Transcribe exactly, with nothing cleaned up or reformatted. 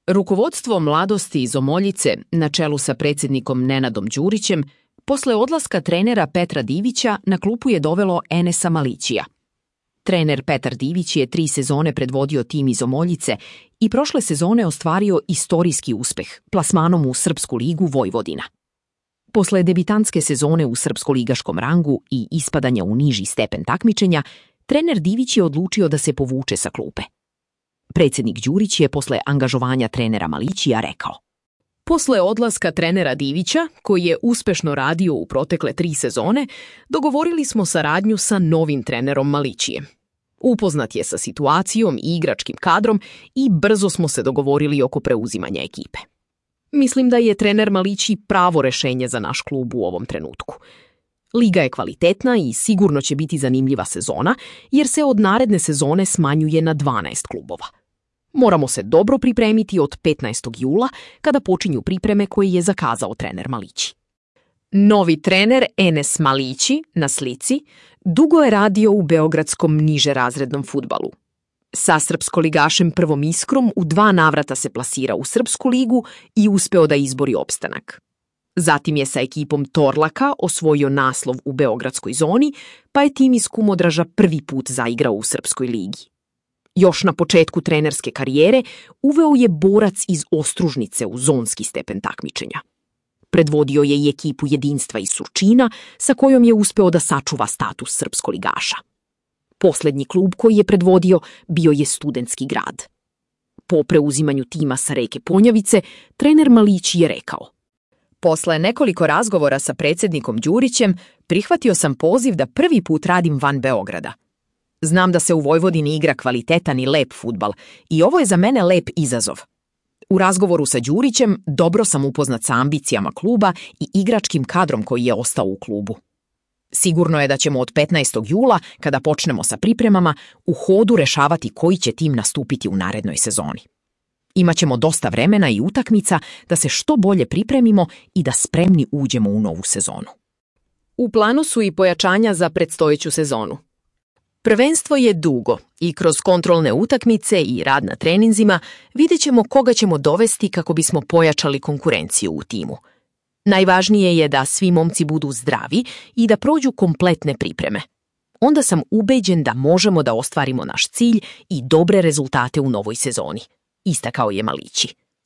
Rukovodstvo mladosti iz Omoljice, na čelu sa predsjednikom Nenadom Đurićem, posle odlaska trenera Petra Divića na klupu je dovelo Enesa Malićija. Trener Petar Divić je tri sezone predvodio tim iz Omoljice i prošle sezone ostvario istorijski uspeh plasmanom u Srpsku ligu Vojvodina. Posle debitantske sezone u srpsko-ligaškom rangu i ispadanja u niži stepen takmičenja, trener Divić je odlučio da se povuče sa klupe. Predsjednik Đurić je posle angažovanja trenera Malićija rekao: Posle odlaska trenera Divića, koji je uspešno radio u protekle tri sezone, dogovorili smo saradnju sa novim trenerom Malićijem. Upoznat je sa situacijom i igračkim kadrom i brzo smo se dogovorili oko preuzimanja ekipe. Mislim da je trener Malići pravo rešenje za naš klub u ovom trenutku. Liga je kvalitetna i sigurno će biti zanimljiva sezona, jer se od naredne sezone smanjuje na dvanaest klubova. Moramo se dobro pripremiti od petnaestog jula, kada počinju pripreme koje je zakazao trener Malići. Novi trener Enes Malići, na slici, dugo je radio u beogradskom nižerazrednom fudbalu. Sa srpskoligašem Prvom Iskrom u dva navrata se plasira u Srpsku ligu i uspeo da izbori opstanak. Zatim je sa ekipom Torlaka osvojio naslov u beogradskoj zoni, pa je tim iz Kumodraža prvi put zaigrao u Srpskoj ligi. Još na početku trenerske karijere uveo je Borac iz Ostružnice u zonski stepen takmičenja. Predvodio je i ekipu Jedinstva iz Surčina, sa kojom je uspeo da sačuva status srpskoligaša. Poslednji klub koji je predvodio bio je Studentski grad. Po preuzimanju tima sa Reke Ponjavice, trener Malići je rekao: Posle nekoliko razgovora sa predsjednikom Đurićem, prihvatio sam poziv da prvi put radim van Beograda. Znam da se u Vojvodini igra kvalitetan i lep fudbal i ovo je za mene lep izazov. U razgovoru sa Đurićem dobro sam upoznat sa ambicijama kluba i igračkim kadrom koji je ostao u klubu. Sigurno je da ćemo od petnaestog jula, kada počnemo sa pripremama, u hodu rešavati koji će tim nastupiti u narednoj sezoni. Imaćemo dosta vremena i utakmica da se što bolje pripremimo i da spremni uđemo u novu sezonu. U planu su i pojačanja za predstojeću sezonu. Prvenstvo je dugo i kroz kontrolne utakmice i rad na treninzima vidjet ćemo koga ćemo dovesti kako bismo pojačali konkurenciju u timu. Najvažnije je da svi momci budu zdravi i da prođu kompletne pripreme. Onda sam ubeđen da možemo da ostvarimo naš cilj i dobre rezultate u novoj sezoni, istakao je Malići.